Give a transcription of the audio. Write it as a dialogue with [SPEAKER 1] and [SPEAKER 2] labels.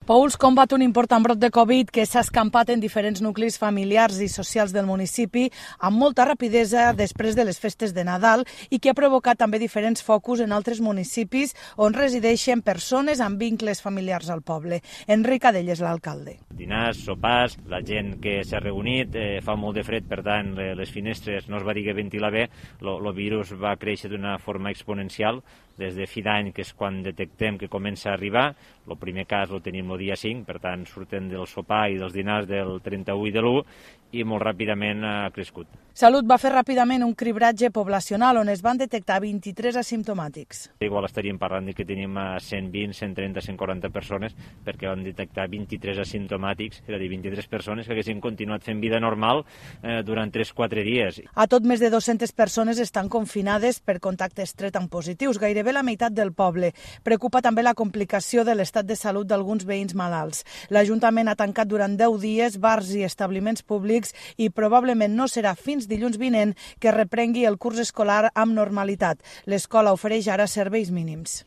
[SPEAKER 1] Pouls combat un important brot de Covid que s'ha escampat en diferents nuclis familiars i socials del municipi amb molta rapidesa després de les festes de Nadal i que ha provocat també diferents focus en altres municipis on resideixen persones amb vincles familiars al poble. Enric Adell és l'alcalde.
[SPEAKER 2] Dinars, sopars, la gent que s'ha reunit, fa molt de fred, per tant les finestres no es va dir que ventila bé, el virus va créixer d'una forma exponencial des de fi d'any, que és quan detectem que comença a arribar. El primer cas el tenim el dia 5, per tant surten del sopar i dels dinars del 31 i de l'1 i molt ràpidament ha crescut.
[SPEAKER 1] Salut va fer ràpidament un cribratge poblacional on es van detectar 23 asimptomàtics.
[SPEAKER 2] Igual estaríem parlant de que tenim 120, 130, 140 persones perquè van detectar 23 asimptomàtics, és a dir, 23 persones que haguessin continuat fent vida normal durant 3-4 dies.
[SPEAKER 1] A tot més de 200 persones estan confinades per contacte estret amb positius, gairebé la meitat del poble. Preocupa també la complicació de l'estat de salut d'alguns veïns malalts. L'Ajuntament ha tancat durant 10 dies bars i establiments públics i probablement no serà fins dilluns vinent que reprengui el curs escolar amb normalitat. L'escola ofereix ara serveis mínims.